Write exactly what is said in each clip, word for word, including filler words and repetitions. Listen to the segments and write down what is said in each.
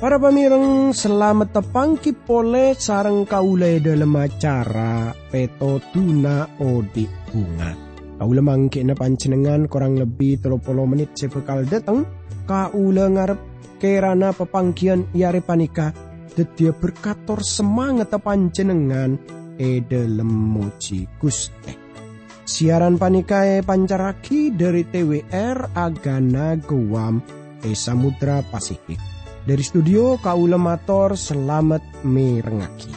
Para pamèrèng, salamet tapangghi polè sareng kaulâ è dhâlem acara Pètodhuna Odi' Bhunga. Kaulâ mangghi'na panjhennengngan korang lebbi tello polo mennit sè bhâkal dâteng. Kaulâ ngarep kèrana papangghiyân è arè panèka dhâddhiyâ berkat tor samangetta panjhennengngan è dhâlem mojhi Ghustè. Siaran panèka èpancarraghi dhâri T W R Agana Guam è Samudra Pasifik. Dhâri studio, kaulâ mator salamet mèrengngaghi.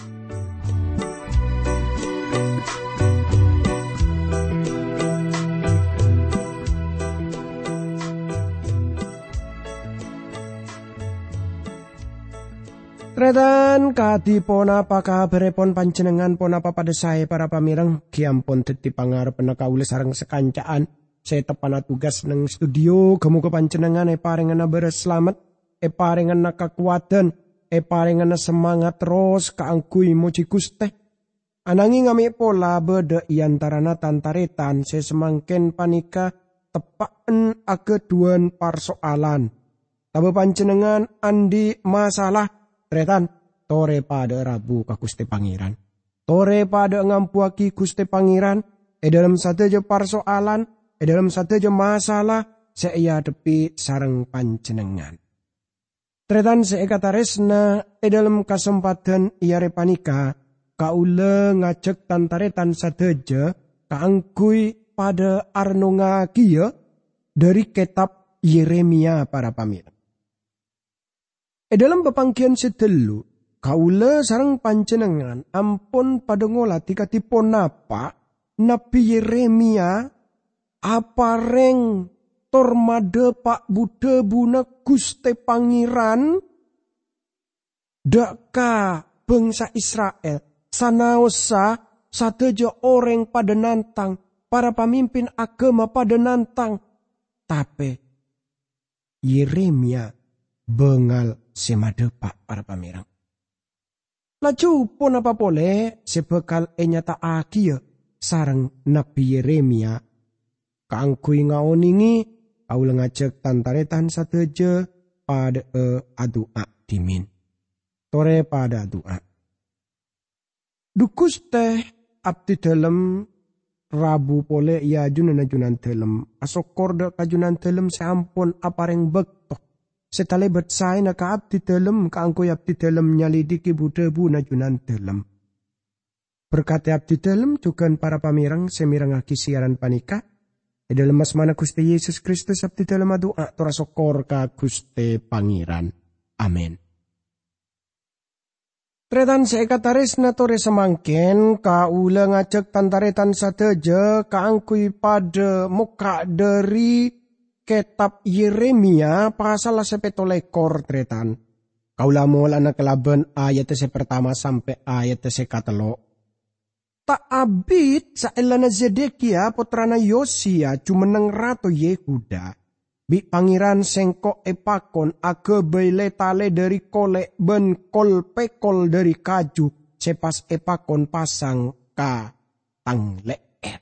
Tarètan, kadhi ponapa kabhârèpon panjhennengngan? Ponapa padâ saè, para pamèrèng? Ghi' ampon dhâddhi pangarebbhânna kaulâ sareng sakanca'an sè teppa'na tugas neng studio. Ghâ-mogâ panjhennengngan èparèngana bârâs salamet, èparèngana kakowadhân, èparèngana samangat terros kaangghuy mojhi Ghustè. Ananghing amè' pola bâdâ è antarana tan-tarètan sè samangkèn panèka teppa'en aghâdhuwân parso'alan. Tabâ panjhennengngan andi' masalah, tarètan, torè padâ'â rabu ka Ghustè Pangèran. Torè padâ'â ngambuwâghi Ghustè Pangèran è dhâlem sadhâjâ parso'alan, è dhâlem sadhâjâ masalah sè èadhebbhi sareng panjhennengngan. Tarètan sè èkatarèsna, è dhâlem kasempadhân è arè panèka, kaulâ ngajhâk tan-tarètan sadhâjâ kaangghuy padâ arennongngaghiyâ dhâri kètab Yeremia, para pamèrèng. È dhâlem papangghiyân sè dâllu, kaulâ sareng panjhennengngan ampon padâ ngolatè kadhi ponapa Nabbhi Yeremia aparèng tor madhâpa' bu-dhâbuna Ghustè Pangèran dâ' ka bhângsa Isra'il, sanaossa sadhâjâ orèng padâ nantang, para pamimpin aghâma padâ nantang, tapè Yeremia bângal sè madhâpa', para pamèrèng. Laju ponapa polè sè bhâkal ènyata'aghiyâ sareng Nabbhi Yeremia? Kaangghuy ngaonèngè, kaulâ ngajhâk tan-tarètan sadhâjâ padâ'â adu'a dhimèn. Torè padâ adu'a. Dhu Ghustè, abdhi dhâlem rabu polè è ajunanna Junandhâlem, asokkor dâ' ka Junandhâlem sè ampon aparèng bâkto sè talèbât saèna ka abdhi dhâlem kaangghuy abdhi dhâlem nyalèdhighi bu-dhâbuna Junandhâlem. Berkadhi abdhi dhâlem jhughân para pamèrèng sè mèrengngaghi siaran panèka. È dhâlem asmana Ghustè Yesus Kristus abdhi dhâlem adu'a tor asokkor ka Ghustè Pangèran. Amin. Tarètan sè èkatarèsna torè samangkèn, kaulâ ngajhâk tan-tarètan sadhâjâ kaangghuy padâ mokka' dhâri kètab Yeremia pasalla sè pètto lèkor, tarètan. Kaulâ mola'ana kalabân ayaddhâ sè partama sampè' ayaddhâ sè katello'. Ta' abit saellana Zedekia, pottrana Yosiya, jumenneng rato Yehuda, bi' Pangèran sèngko' èpakon aghâbây lè-talè dhâri kolè' bân kol-pèkol dhâri kaju sè pas èpakon pasang ka tang lè'èr.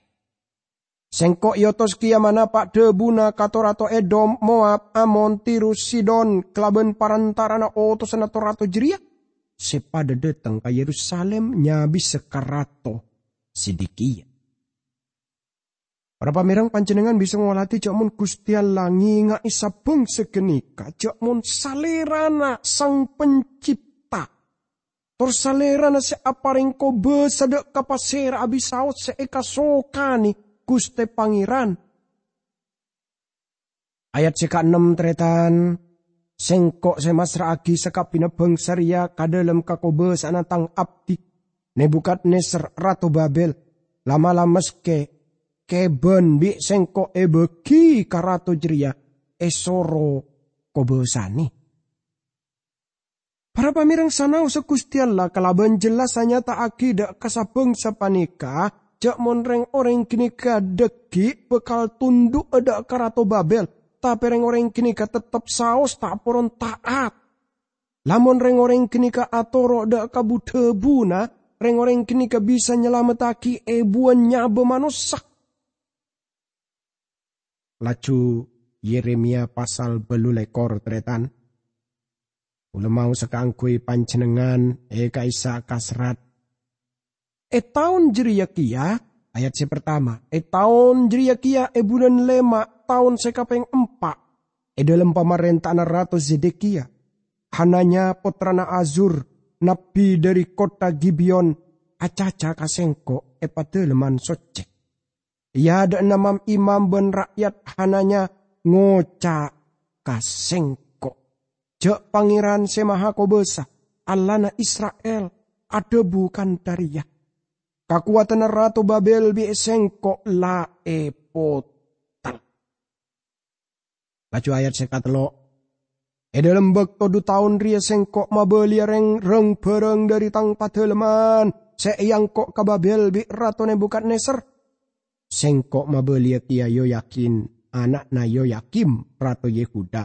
Sèngko' èotos kèya manapa' dhâbuna ka to-rato Edom, Moab, Amon, Tirus, Sidon, kalabân parantara'anna otosanna to-rato jârèya sè padâ dâteng ka Yerusalim nyabisa ka Rato Zedekia. Para pamèrèng, panjhennengngan bisa ngolatè jhâ' mon Ghustè Allah ngènga'è sabhângsa ghânèka, jhâ' mon Salèrana Sang Pencipta, tor Salèrana sè aparèng kobâsa dâ' ka pasèra abisaos sè èkasokanè Ghustè Pangèran. Ayat sè kaennem, tarètan, "Sèngko' sè massra'aghi sakabbhiyânna bhângsa rèya ka dhâlem kakobâsa'anna tang abdhi, Nebukadnezar, rato Babel. La-mala maskè kèbân bi' sèngko' èbâghi ka rato jârèya, èsoro kobâsanè." Para pamèrèng, sanaossa Ghustè Allah kalabân jelas anyata'aghi dâ' ka sabhângsa panèka, jhâ' mon rèng-orèng ghânèka dhâggi' bhâkal tundhu'â dâ' ka rato Babel, tapè rèng-orèng ghânèka teptep saos ta' poron ta'at. Lamon reng-oreng ganeka atoro' dha' ka bu-dhabuna, reng-oreng ganeka bisa nyalamettagi ebuwan nyaba manossa. Laju Yeremia pasal bâllu lèkor, tarètan. Kaulâ maosa kaangghuy panjhennengngan è ka'issa' ka serrat. È taon jârèya kèya, ayat sè partama, è taon jârèya kèya è bulân lèma', taon sè kapèng empa', è dhâlem pamarènta'anna Rato Zedekia, Hananya pottrana Azur, nabbi dhâri kottha Gibeon, acaca ka sèngko' è Padâlemman Soccè. È adâ'na mam-imam bân ra'yat Hananya ngoca' ka sèngko', "Jâ' Pangèran Sè Mahakobâsa, Allahna Isra'il, adhâbu kantha rèya, 'Kakowadhânna Rato Babèl bi' sèngko' la èpotel.'" Laju ayat sè katello', "È dhâlem bâkto dhu taon rèya sèngko' mabâliyâ rèng-, rang-bhârâng dhâri tang padâlemman sè èangko' ka Babèl bi' Rato Nebukadnezar. Sèngko' mabâliyâ kèya Yoyakin, ana'na Yoyakim, rato Yehuda,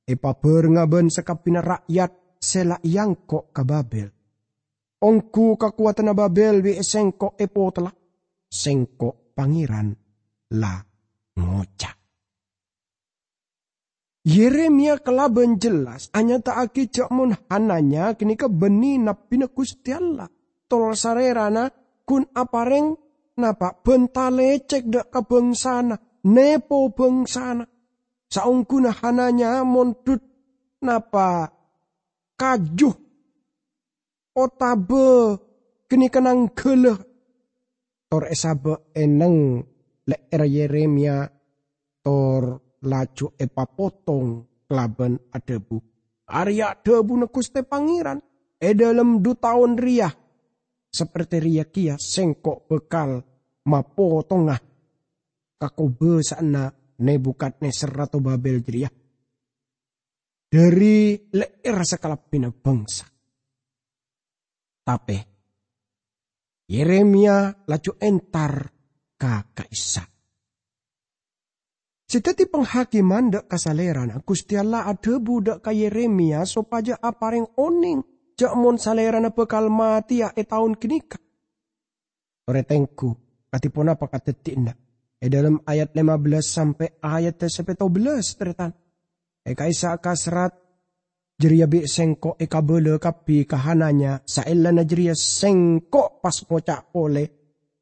èpabhârengnga bân sakabbhiyânna ra'yat sè la èangko' ka Babèl. Ongghu kakowadhânna Babèl bi' sèngko' èpotella, sèngko' Pangèran la ngoca'." Yeremia kalabân jelas anyata'aghi jâ' mon Hananya ghânèka bânnè nabbhina Ghustè Allah, tor salèrana ghun aparèng napa bhânta lècèk dâ' ka bhângsana, nèpo bhângsana. Saongghuna Hananya mondhut napa kaju otabâ ghânèka nangghâlâ, tor èsabâ' è neng lè'èrra Yeremia, tor laju èpapotong kalabân adhâbu, "Arèya' dhâbuna Ghustè Pangèran, 'È dhâlem dhu taon rèya, saperte rèya kèya sèngko' bhâkal mapotonga kakobâsa'anna Nebukadnezar rato Babèl jârèya dhâri lè'èrra sakalabbhina bhângsa.'" Tapè Yeremia laju entar ka ka'issa'. Sè dhâddhi panghakiman dâ' ka salèrana, Ghustè Allah adhâbu dâ' ka Yeremia sopajâ aparèng onèng jâ' mon salèrana bhâkal matèya è taon ghânèka. Torè tengghu, kadhi ponapa kadhâddhiyânna? È dhâlem ayat lèma bellâs sampè' ayat sè pètto bellâs, tarètan. È ka'issa' ka serrat jârèya bi' sèngko' èkabâlâ kabbhi ka Hananya, saellana jârèya sèngko' pas ngoca' polè,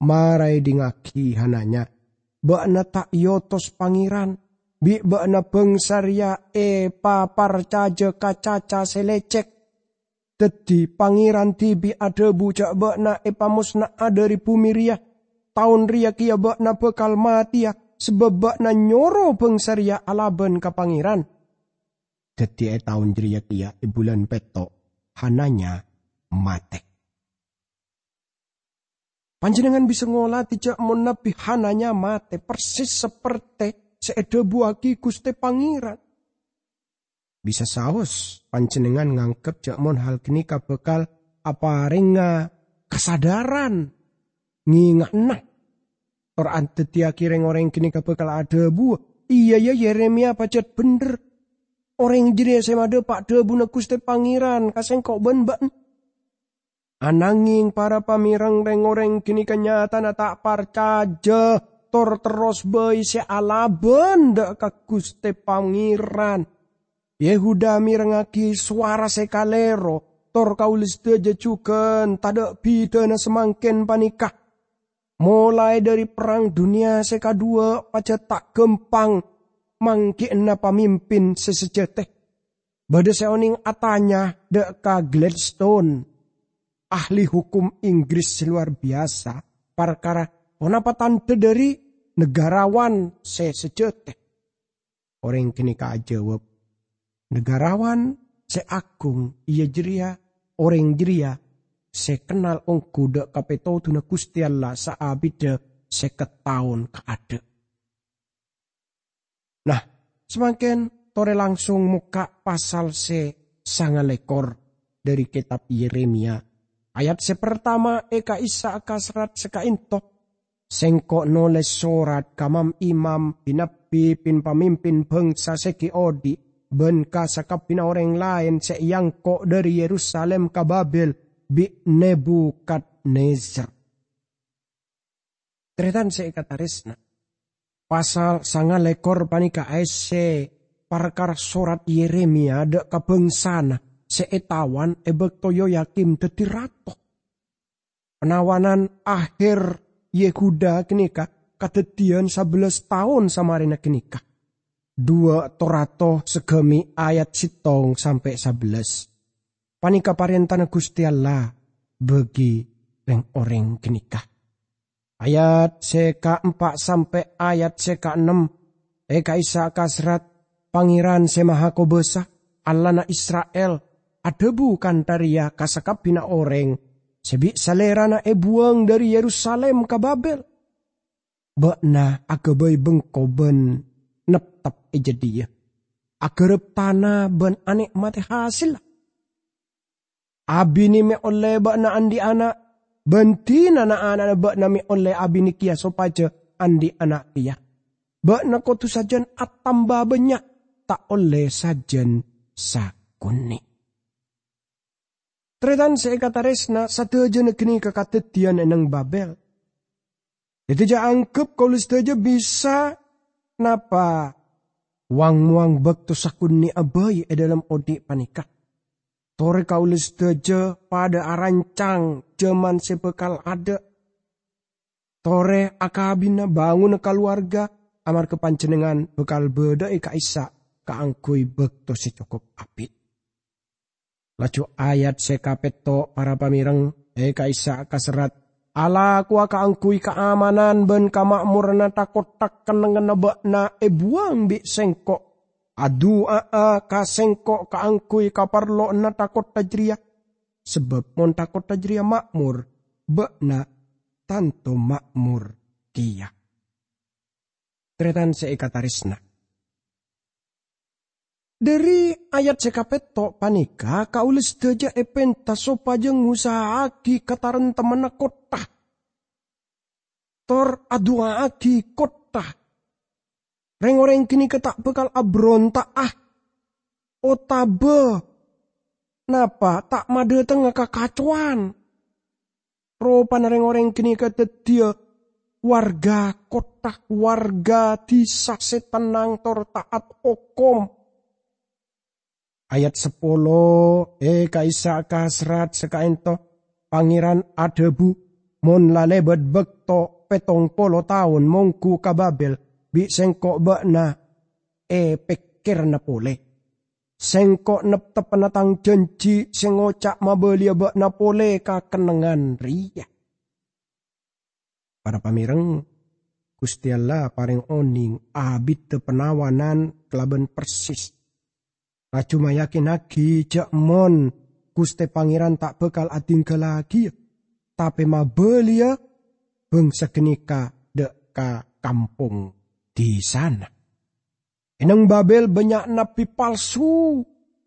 "Mara èdingngaghi, Hananya! Bâ'na ta' èotos Pangèran, bi' bâ'na bhângsa rèya èpaparcajâ ka caca sè lècèk. Dhâddhi, Pangèran dhibi' adhâbu jâ' bâ'na èpamosna'a dhâri bhumè rèya. Taon rèya kèya bâ'na bhâkal matèya, sabâb bâ'na nyoro bhângsa rèya alabân ka Pangèran." Dhâddhi, è taon jârèya kèya, è bulân pètto', Hananya matè. Panjhennengngan bisa ngolatè jâ' mon Nabbhi Hananya matè persis saperte sè èdhâbuwâghi Ghustè Pangèran. Bisa saos panjhennengngan nganggep jâ' mon hal ghânèka bhâkal aparèngnga kasadhârân ngènga'na, tor adhâddhiyâghi rèng-orèng ghânèka bhâkal adhâbu, "Iyâ, yâ, Yeremia pajhât bhendher. Orèng jârèya sè madhâpa' dhâbuna Ghustè Pangèran ka sèngko' bân bâ'na." Ananghing para pamèreng rèng-orèng ghânèka nyatana ta' parcajâ, tor terros bhâi sè alabân dâ' ka Ghustè Pangèran. Yehuda mèrengngaghi sowara sè kalèro, tor kaulâ sadhâjâ jhughân tadâ' bhidhâna samangkèn panèka. Molaè dhâri Perrang Dhunnya sè Kadhuwâ' pajhât ta' ghâmpang mangghi'ânna pamimpin sè sajâtè. Bâdâ sè onèng atanya dâ' ka Gladstone, ahli hokom Inggris sè lowar biyasa, parkara ponapa tandhâ dhâri negarawan sè sajâtè. Orèng ghânèka ajâwâb, "Negarawan sè aghung iyâ jârèya orèng jârèya sè kennal ongghu dâ' ka pètodhuna Ghustè Allah saabiddhâ sèket taon kaadâ'." Nah, samangkèn torè langsung mokka' pasal sè sangalèkor dhâri kètab Yeremia. Ayat sè partama è ka'issa' ka serrat sè ka'ènto. "Sèngko' nolès sorat ka mam-imam, bi-nabbi, bi-pamimpin bhângsa sè ghi' odi', bân ka sakabbhina orèng laèn sè èangko' dhâri Yerusalim ka Babel bi' Nebukadnezar. Tarètan sè èkatarèsna, pasal sangalèkor panèka èssè parkara sorat Yeremia dâ' ka bhângsana sè ètawan è bâkto Yoyakim dhâddhi rato. Panawanan aher Yehuda ghânèka kadhâddhiyân sabellâs taon samarèna ghânèka, duwâ' to rato saghâmè' ayat sèttong sampè' sabellâs. Panèka parèntana Ghustè Allah bagi rèng-orèng ghânèka. Ayat sè kaempa' sampè' ayat sè kaennem è ka'issa' kaserrat, "Pangèran Sè Mahakobâsa, Allahna Isra'il, adhâbu kantha rèya ka sakabbhina orèng sè bi' salèrana èbuwâng dhâri Yerusalim ka Babel, 'Bâ'na aghâbây bengko bân neptep è jâdiyâ, aghârâp tana bân anè'matè hasèlla. Abinè mè' ollè bâ'na andi' ana', bân dinana ana'na bâ'na mè' ollè abinè kèya sopajâ andi' ana' kèya. Bâ'na kodhu sajân atamba bânnya', ta' ollè sajân sakonè'.'" Tarètan sè èkatarèsna, sadhâjâna ghânèka kadhâddhiyân è neng Babel. Dhâddhi, jhâ' anggep kaulâ sadhâjâ bisa napa wang-mowang bâkto sakonè'a bhâi è dhâlem odi' panèka. Torè kaulâ sadhâjâ padâ arancang jhâman sè bhâkal adâ'. Torè akabina, bângona kalowarga, amarghâ panjhennengngan bhâkal bâdâ'â ka'issa' kaangghuy bâkto sè cokop abit. Laju ayat sè kapètto', para pamèreng, è ka'issa' kaserrat, "Alakowa kaangghuy kaamanan bân kama'moranna tha-kottha kennengnganna bâ'na èbuwâng bi' Sèngko'. Adu'a'a ka Sèngko' kaangghuy kaparlowanna tha-kottha jârèya, sabâb mon tha-kottha jârèya ma'mor, bâ'na tanto ma'mor kèya." Tarètan sè èkatarèsna. Dhâri ayat sè kapètto' panèka, kaulâ sadhâjâ èpènta sopajâ ngosa'aghi kataremtemmanna kottha, tor adu'a'aghi kottha. Rèng-orèng ghânèka ta' bhâkal abhâronta'a, otabâ napa ta' madhâtengnga kakacowan. Ropana rèng-orèng ghânèka dhâddhiyâ warga kottha, warga dhisa sè tennang tor ta'at hokom. Ayat sapolo, è ka'issa' kaserrat sakaènto, Pangèran adhâbu, "Mon la lèbât bâkto pèttong polo taon mongghu ka Babel, bi' Sèngko' bâ'na èpèkkèrana polè. Sèngko' neptebbhâna Tang jhânjhi sè ngoca' mabâliyâ bâ'na polè ka kennengngan rèya." Para pamèreng, Ghustè Allah parèng onèng abiddhâ panawanan kalabân persis, laju mayakinnaghi jhâ' mon Ghustè Pangèran ta' bhâkal adhingghâllaghiyâ, tapè mabâliyâ bhângsa ghânèka dâ' ka kampong dhisana. È neng Babel bânnya' nabbhi palsu,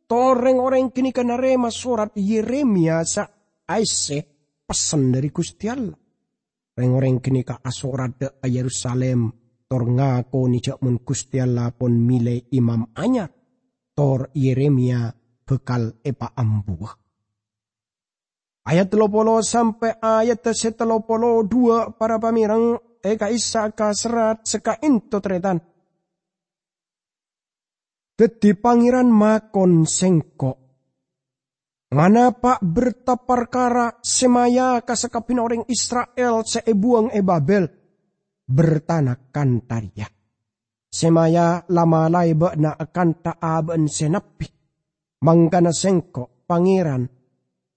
tor rèng-orèng ghânèka narèma sorat Yeremia sè aèssè pessen dhâri Ghustè Allah. Rèng-orèng ghânèka asorat dâ' ka Yerusalim, tor ngakonè jhâ' mon Ghustè Allah pon mèlè imam anyar, tor Yeremia bhâkal èpaambuwâ. Ayat tello polo sampè' ayat sè tello polo duwâ', para pamèreng, è ka'issa' kaserrat sakaènto, tarètan. Dhâddhi Pangèran makon Sèngko', "Manapa' berta parkara Semaya ka sakabbhina orèng Isra'il sè èbuwâng è Babel? Bertana kantha rèya, 'Semaya la malaè bâ'na akantha abâ'na sè nabbhi.' Mangkana Sèngko', Pangèran,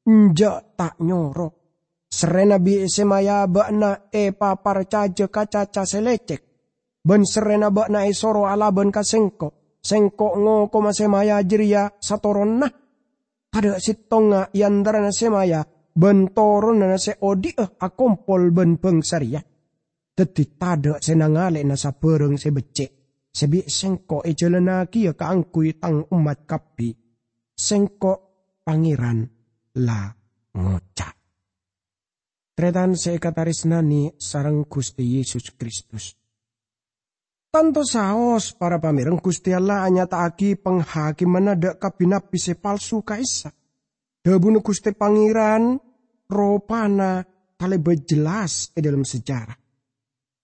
enjâ' ta' nyoro. Serrèna bi' Semaya bâ'na èpaparcajâ ka caca sè lècèk, bân serrèna bâ'na èsoro alabân ka Sèngko'. Sèngko' ngokoma Semaya jârèya satoronna. Tadâ' sèttonga è antarana Semaya bân toronanna sè odi'â akompol bân bhângsa rèya. Dhâddhi tadâ' sè nangalè'ana sabârâng sè beccè' sè bi' Sèngko' èjhâlânnagiyâ kaangghuy Tang ommat kabbhi. Sèngko', Pangèran, la ngoca'." Tarètan sè èkatarèsnanè sareng Ghustè Yesus Kristus. Tanto saos, para pamèreng, Ghustè Allah anyata'aghi panghakimanna dâ' ka bi-nabbhi sè palsu ka'issa'. Dhâbuna Ghustè Pangèran ropana talèbât jellas è dhâlem sejarah.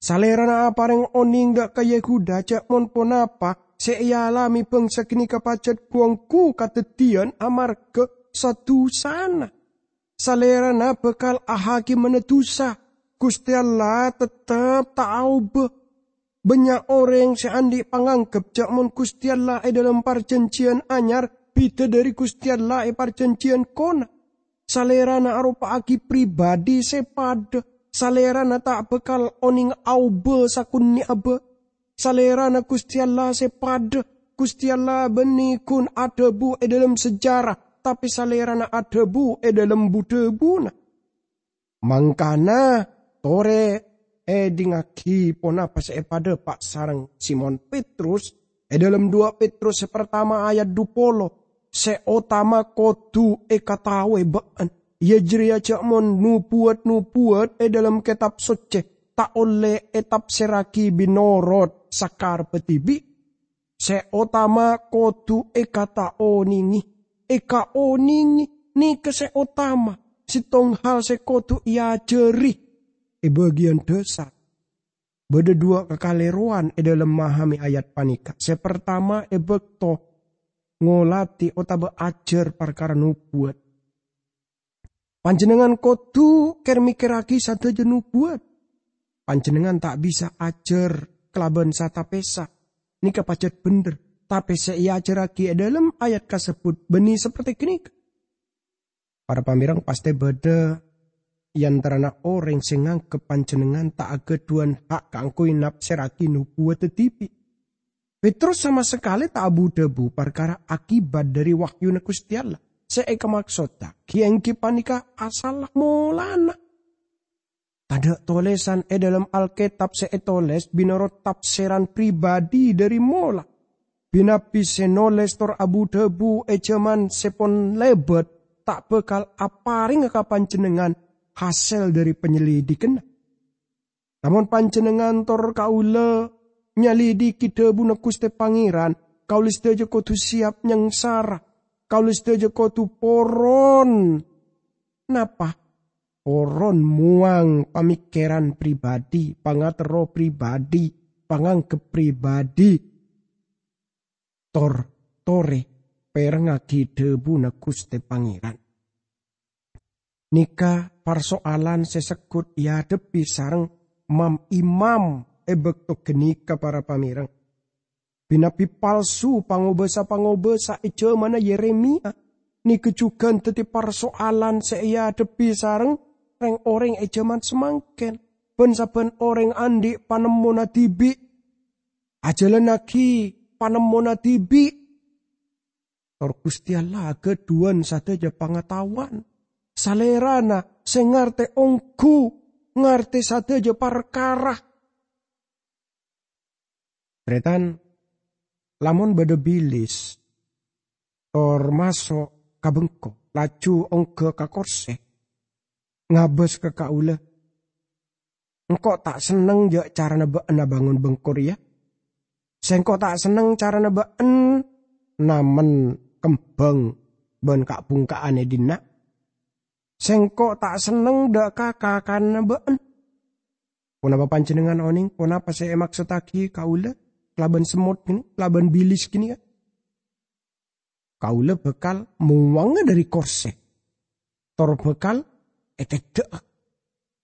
Salèrana aparèng onèng dâ' ka Yehuda jhâ' mon ponapa sè èalamè bhângsa ghânèka pajhât ghu-ongghu kadhâddhiyân amarghâ sa-dusana. Salèrana bhâkal ahakimana dusa. Ghustè Allah tettep ta' aobâ. Bânnya' orèng sè andi' pangangghep jhâ' mon Ghustè Allah è dhâlem Parjhânjhiyân Anyar bhidhâ dhâri Ghustè Allah è Parjhânjhiyân Kona. Salèrana aropa'aghi pribadhi sè padhâ. Salèrana ta' bhâkal onèng aobâ sakonè'abâ. Salèrana Ghustè Allah sè padhâ. Ghustè Allah bânnè ghun adhâbu è dhâlem sejarah, tapè Salèrana adhâbu è dhâlem bu-dhâbuna. Mangkana, torè èdingngaghi ponapa sè èpadhâpa' sareng Simon Petrus è dhâlem duwâ' Petrus sè partama ayat dhu polo, "Sè otama kodhu èkataowè bâ'ân, iyâ jârèya jhâ' mon nobuwât-nobuwât è dhâlem Kètab Soccè ta' ollè ètafsèrraghi bi' norot sakarebbhâ dhibi'. Sè otama kodhu èkataonèngè, èkaonèngè, nèka sè otama, sèttong hal sè kodhu èajhâri è bâgiyân dhâsar." Bâdâ duwâ' kakalèrowan è dhâlem mahamè ayat panèka. Sè partama, è bâkto ngolatè otabâ ajhâr parkara nobuwât. Panjhennengngan kodhu kèr-mèkkèrraghi sadhâjâ nobuwât. Panjhennengngan ta' bisa ajhâr kalabân sata pèsa. Nèka pajhât bhendher, tapè sè èajhârraghi è dhâlem ayat kasebbhut bânnè saperti ghânèka. Para pamèreng, pastè bâdâ è antarana orèng sè nganggep panjhennengngan ta' aghâdhuwân ha' kaangghuy nafsèrraghi nobuwâdhâ dhibi'. Petrus sama sakalè ta' abu-dhâbu parkara akibat dhâri wahyuna Ghustè Allah. Sè èkamaksoddhâghi èngghi panèka asalla molana. Tadâ' tolèsan è dhâlem Alkètab sè ètolès bi' norot tafsèran pribadhi dhâri mola. Bi-nabbhi sè nolès tor abu-dhâbu è jhâman sè pon lèbât ta' bhâkal aparèngnga ka panjhennengngan hasèl dhâri panyelidhikanna. Lamon panjhennengngan tor kaulâ nyalidhiki dhâbuna Ghustè Pangèran, kaulâ sadhâjâ kodhu sèyap nyangsara. Kaulâ sadhâjâ kodhu poron. Napa? Poron mowang pamèkkèran pribadhi, pangaterro pribadhi, pangangghep pribadhi. Tor, torè, pèrengngaghi dhâbuna Ghustè Pangèran. Nèka parsoalan sè segghut èadhebbhi sareng mam-imam è bâkto ghânèka, para pamèreng. Bi-nabbhi palsu, pangobâsa-pangobâsa è jhâmanna Yeremia, nèka jhughân dhâddhi parsoalan sè èadhebbhi sareng rèng-orèng è jhâman samangkèn. Bân-sabbhân orèng andi' panemmona dhibi', ajhâlannaghi panemmona dhibi'. Tor Ghustè Allah aghâdhuwân sadhâjâ pangataowan. Salèrana sè ngartè ongghu, ngartè sadhâjâ parkara. Tarètan, lamon bâdâ bilis, tor maso' ka bengko, laju ongghâ ka korsè, ngabâs ka kaulâ, "Engko' ta' senneng jâ' carana bâ'en abângon bengko rèya. Sèngko' ta' senneng carana bâ'en namen kembhâng bân ka'-bhungka'an è dinna'. Sèngko' ta' senneng dâ' ka-, kakanna bâ'en." Ponapa panjhennengngan onèng ponapa sè èmaksottaghi kaulâ kalabân semmot ghânèka, kalabân bilis ghânèka? Kaulâ bhâkal mowangnga dhâri korsè, tor bhâkal èteddhâ'â.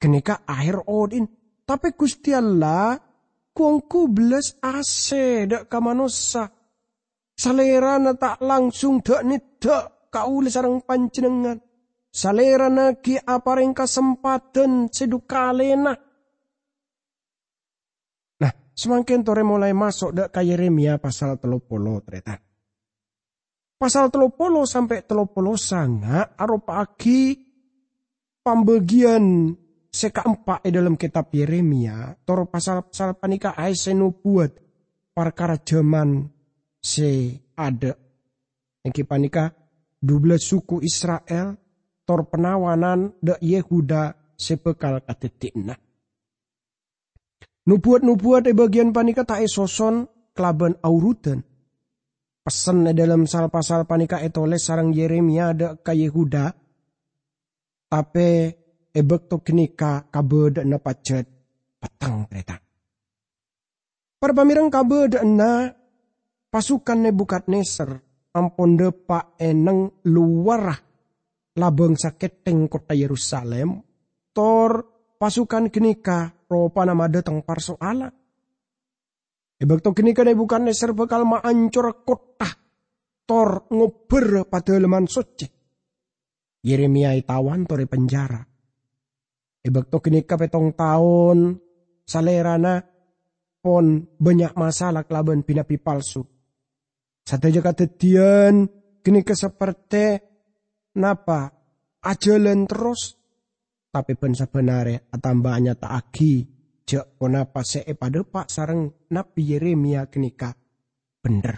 Ghânèka aher odhi'na. Tapè Ghustè Allah ghu-ongghu bellas asè dâ' ka manossa. Salèrana ta' langsung dâ'-neddhâ' kaulâ sareng panjhennengngan. Salèrana ghi' aparèng kasempadhân sè dhu kalèna. Nah, samangkèn torè molaè maso' dâ' ka Yeremia pasal tello polo, tarètan. Pasal tello polo sampè' tello polo sanga' aropa'aghi pambâgiyân sè kaempa' è dhâlem kètab Yeremia, tor pasal-pasal panèka aèssè nobuwât parkara jhâman sè adâ'. Èngghi panèka dubellas suku Isra'il, tor panawanan dâ' Yehuda sè bhâkal kadhâddhiyâna. Nobuwat-nobuwat è bâgiyân panèka ta' èsoson kalabân aorudan. Pessen è dhâlem sal-pasal panèka ètolès sareng Yeremia dâ' ka Yehuda, tapè è bâkto ghânèka kabâdâ'ânna pajhât petteng, tarètan. Para pamèreng, kabâdâ'ânna pasukan Nebukadnezar ampon dâpa' è neng lowarra labâng sakèthèng kottha Yerusalim, tor pasukan ghânèka ropana madâteng parso'alan. È bâkto ghânèka Nebukadnezar bhâkal maancora kottha tor ngobbhâr Padâlemman Soccè. Yeremia ètawan tor èpenjara. È bâkto ghânèka pèttong taon salèrana pon bânnya' masalah kalabân bi-nabbi palsu. Sadhâjâ kadhâddhiyân ghânèka saperte napa ajhâlân terros, tapè bân-sabbân arè atamba anyata'aghi jhâ' ponapa sè èpadâpa' sareng Nabbi Yeremia ghânèka bhendher.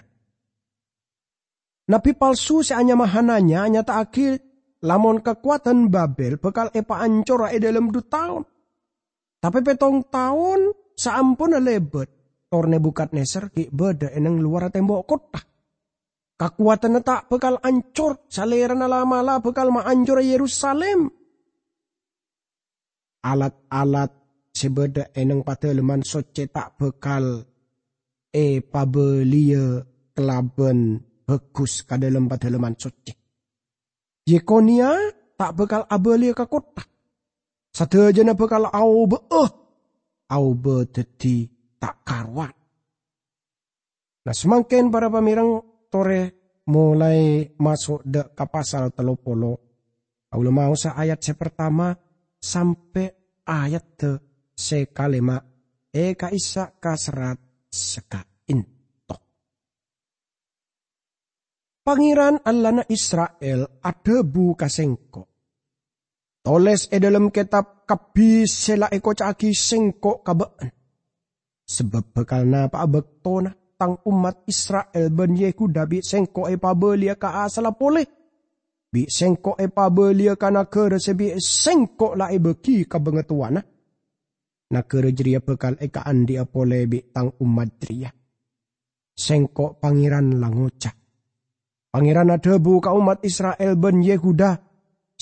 Nabbi palsu sè anyama Hananya anyata'aghi lamon kakowadhân Babil bhâkal èpaancora è dhâlem dhu taon. Tapè pèttong taon saamponna lèbât, tor Nebukadnezar ghi' bâdâ è neng lowarra tembok kottha. Kakowadhânna ta' bhâkal ancor, salèrana la'-mala' bhâkal maancora Yerusalim. Alat-alat sè bâdâ è neng Padâlemman Soccè ta' bhâkal èpabâliyâ kalabân bhâghus ka dhâlem Padâlemman Soccè. Yekonia ta' bhâkal abâliyâ ka kottha. Sadhâjâna bhâkal aobâ'â, aobâ dhâddhi ta' karowan. Nah, samangkèn, para pamèreng, torè molaè maso' dâ' ka pasal tello polo. Kaulâ maosa ayat sè partama sampè' ayat sè kalèma' è ka'issa' ka serrat sè ka'ènto. Pangèran Allahna Isra'il adhâbu ka sèngko', "Tolès è dhâlem kètab kabbhi sè la èkoca'aghi sèngko' ka bâ'na. Sabâb bhâkal napa'a bâktona tang ommat Isra'il bân Yehuda bi' sèngko' èpabâliyâ ka asalla polè, bi' sèngko' èpabâliyâ ka naghârâ sè bi' sèngko' la èbâghi ka bangatowana. Naghârâ jârèya bhâkal èkaandi'â polè bi' tang ommat jârèya. Sèngko' Pangèran la ngoca'. Pangèran adhâbu ka ommat Isra'il bân Yehuda,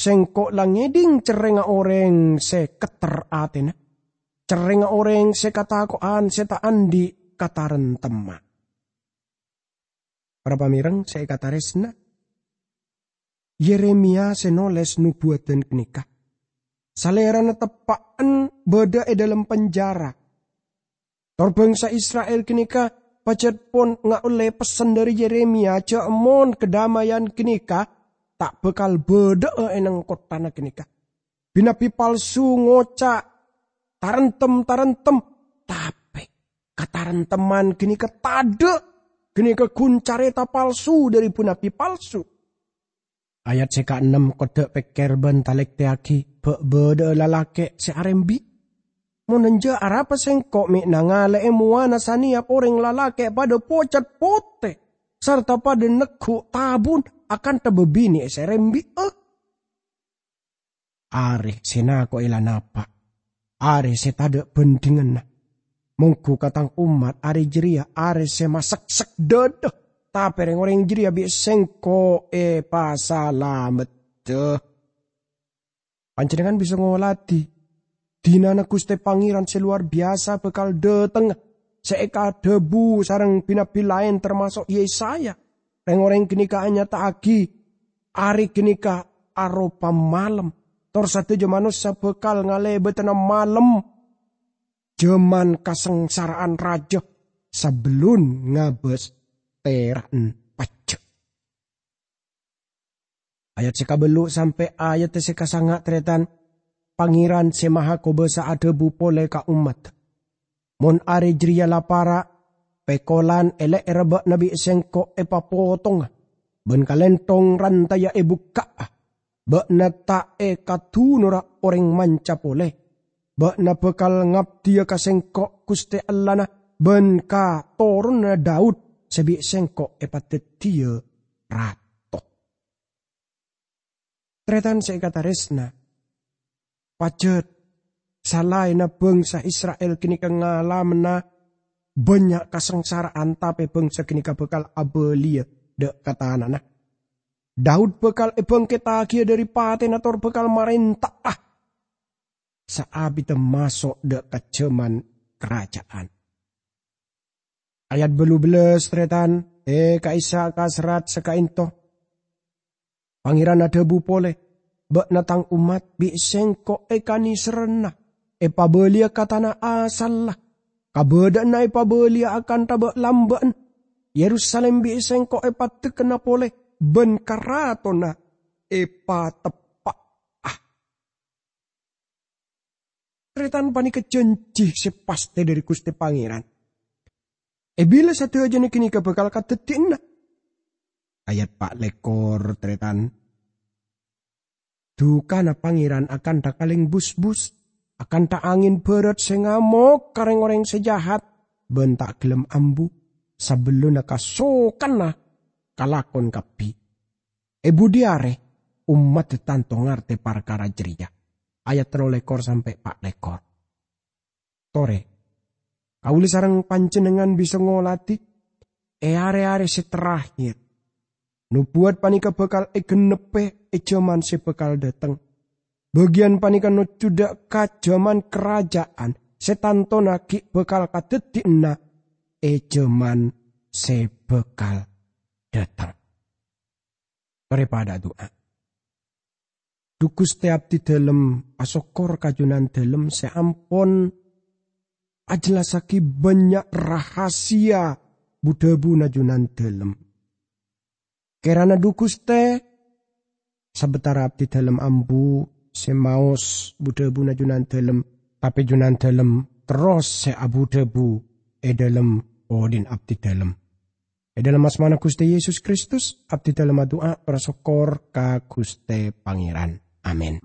Sèngko' la ngèdhing cerrèngnga orèng sè ketter atèna, cerrèngnga orèng sè katako'an sè ta' andi' kataremtemman." Para pamèreng sè èkatarèsna, Yeremia sè nolès nobuwadhân ghânèka, salèrana teppa'en bâdâ è dhâlem penjara. Tor bangsa Isra'il ghânèka pajhât pon ngaollè pessen dhâri Yeremia jhâ' mon kadhâmayan ghânèka ta' bhâkal bâdâ'â è neng kotthana ghânèka. Bi-nabbi palsu ngoca', "Taremtem, taremtem," tapè kataremtemman ghânèka tadâ', ghânèka ghun carèta palsu dhâri bu-nabbi palsu. Ayat sè kaennem kodda' pèkkèr bân talèktèyaghi, bâ' bâdâ'â lalakè' sè arembi'. Mon enjâ', arapa sèngko' mè' nangalè'è mowana sanèyap orèng lalakè' padâ pocet potè, sarta padâ negghu' tabun akantha bâbinè' sè rembi'â? Arè sè nako'è la napa', arè sè tadâ' bhândhinganna. Mongghu ka tang ommat arè jârèya arè sè maseksek dâdâ, tapè rèng-orèng jârèya bi' sèngko' èpasalameddhâ. Panjhennengngan bisa ngoladhi, dinana Ghustè Pangèran sè lowar biyasa bhâkal dâtengnga, sè èkadhâbu sareng bi-nabbi laèn, tamaso' Yesaya. Rèng-orèng ghânèka anyata'aghi, "Arè ghânèka aropa malem, tor sadhâjâ manossa bhâkal ngalèbâdhâna malem, jhâman kasangsara'an rajâ sabellun ngabâs tèra'en pajhât." Ayat sè kabâllu' sampè' ayat sè kasanga', tarètan, Pangèran Sè Mahakobâsa adhâbu polè ka ommaddhâ, "Mon arè jârèya la para', pèkolan è lè'èrra bâ'na bi' sèngko' èpapotonga, bân kalènthong rantaya èbukka'a. Bâ'na ta' èkadunora orèng manca polè. Bâ'na bhâkal ngabdhiyâ ka sèngko', Ghustè Allahna, bân ka toronanna Daud sè bi' sèngko' èpadhâddhiyâ rato." Tarètan sè èkatarèsna, pajhât salaènna bhângsa Isra'il ghânèka ngalamana bânnya' kasangsara'an, tapè bhângsa ghânèka bhâkal abâliyâ dâ' ka tanana. Daud bhâkal èbhângkettaghiyâ dâri patèna tor bhâkal marènta'a saabidda maso' dâ' ka jhâman karaja'an. Ayat bâllu bellâs, tarètan, è ka'issa' ka serrat sè ka'ènto. Pangèran adhâbu polè, "Bâ'na tang ommat bi' sèngko' èkanèserrana, èpabâliyâ ka tana asalla. Kabâdâ'ânna èpabâliyâ akantha bâ'-lambâ'ân. Yerusalim bi' sèngko' èpaddhâkana polè, bân karatonna èpateppa'a." Tarètan, panèka jhânjhi sè pastè dâri Ghustè Pangèran. È bilâ sadhâjâna ghânèka bhâkal kadhâddhiyâna? Ayat pa' lèkor, tarètan. Dukana Pangèran akantha kalèng busbus, akantha angèn bârât sè ngamok ka rèng-orèng sè jahat, bân ta' ghellem ambu, sabellunna kasokanna kalakon kabbhi. È budhi arè ommaddhâ tanto ngartè parkara jârèya. Ayat tello lèkor sampè' pa' lèkor. Torè, kaulâ sareng panjhennengngan bisa ngoladhi è arè-arè sè terakhir. Nobuwat panèka bhâkal ègennebbhi è jhâman sè bhâkal dâteng. Bâgiyân panèka nojjhudhâ ka jhâman karaja'an sè tantona ghi' bhâkal kadhâddhiyâna è jhâman sè bhâkal dâteng. Torè padhâ adu'a. Dhu Ghustè, abdhidhâlem asokkor ka Jhunandhâlem sè ampon ajhellassaghi bânnya' rahasia bu-dhâbuna Jhunandhâlem. Kèrana Dhu Ghustè, sabâtara abdhidhâlem ambu sè maos bu-dhâbuna Jhunandhâlem, tapè Jhunandhâlem terros sè abu-dhâbu è dhâlem odhi'na abdhidhâlem. È dhâlem asmana Ghustè Yesus Kristus, abdhidhâlem adu'a tor asokkor ka Ghustè Pangèran. Amin.